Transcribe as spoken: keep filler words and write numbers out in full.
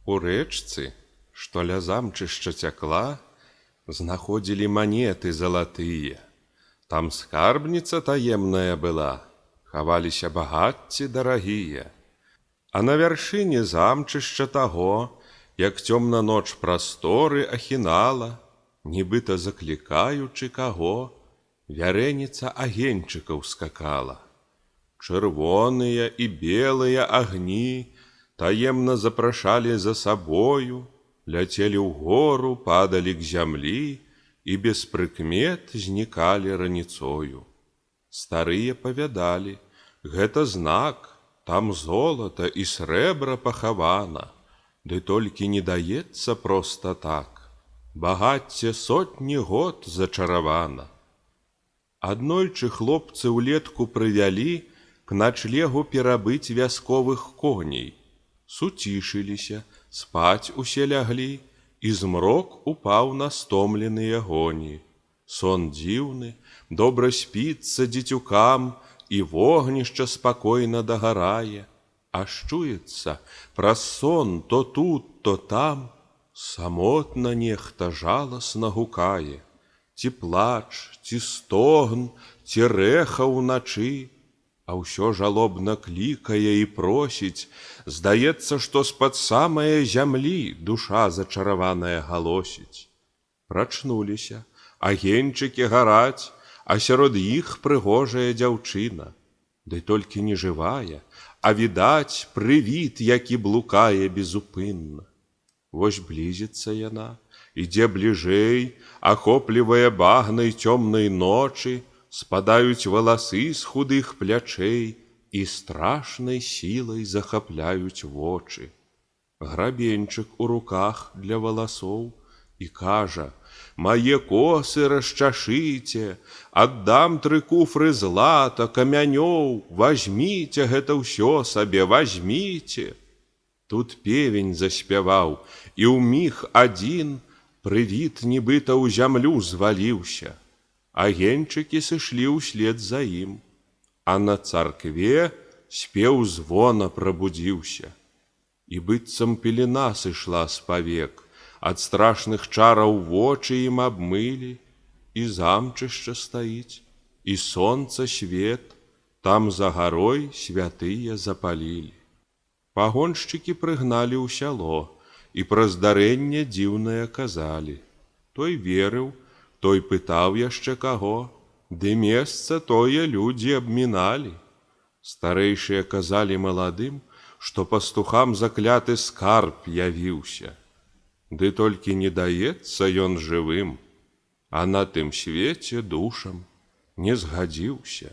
У рэчцы, што ля замчышча цякла, знаходзілі манеты залатыя. Там скарбніца таемная была, хаваліся багацці дарагія. А на вяршыні замчышча таго, як цёмна ноч прасторы ахінала, нібыта заклікаючы каго, вярэніца агеньчыкаў скакала. Чырвоныя і белыя агні таемна запрашалі за сабою, ляцелі ўгору, падалі к зямлі і без прыкмет знікалі раніцою. Старыя павядалі: гэта знак, там золата і срэбра пахавана, ды толькі не даецца проста так, багацце сотні год зачаравана. Аднойчы хлопцы ўлетку прывялі к начлегу перабыць вясковых коней. Суцішыліся, спаць усе ляглі, і змрок упаў на стомленыя гоні. Сон дзіўны, добра спіцца дзецюкам, і вогнішча спакойна дагарае. Аж чуецца, праз сон то тут, то там самотна нехта жаласна гукае. Ці плач, ці стогн, ці рэха ўначы, а ўсё жалобна клікае і просіць. Здаецца, што з-пад самае зямлі душа зачараваная галосіць. Прачнуліся, агеньчыкі гараць, а сярод іх прыгожая дзяўчына. Ды толькі не жывая, а відаць прывід, які блукае безупынна. Вось блізіцца яна, ідзе бліжэй, ахоплівае багнай цёмнай ночы, спадаюць валасы з худых плячэй і страшнай сілай захапляюць вочы. Грабеньчык у руках для валасоў і кажа: мае косы расчашыце, аддам тры куфры злата, камянёў, вазьміце гэта ўсё сабе, вазьміце. Тут певень заспяваў, і ўміг адзін прывід нібыта ў зямлю зваліўся. Агеньчыкі сышлі ўслед за ім, а на царкве спеў звона прабудзіўся. І быццам пелена сышла з павек, ад страшных чараў вочы ім абмылі, і замчышча стаіць, і сонца свет, там за гарой святыя запалілі. Пагоншчыкі прыгналі ў сяло, і пра здарэнне дзіўнае казалі. Той верыў, той пытаў яшчэ каго, ды месца тое людзі абміналі. Старэйшыя казалі маладым, што пастухам закляты скарб явіўся. Ды толькі не даецца ён жывым, а на тым свеце душам не згадзіўся.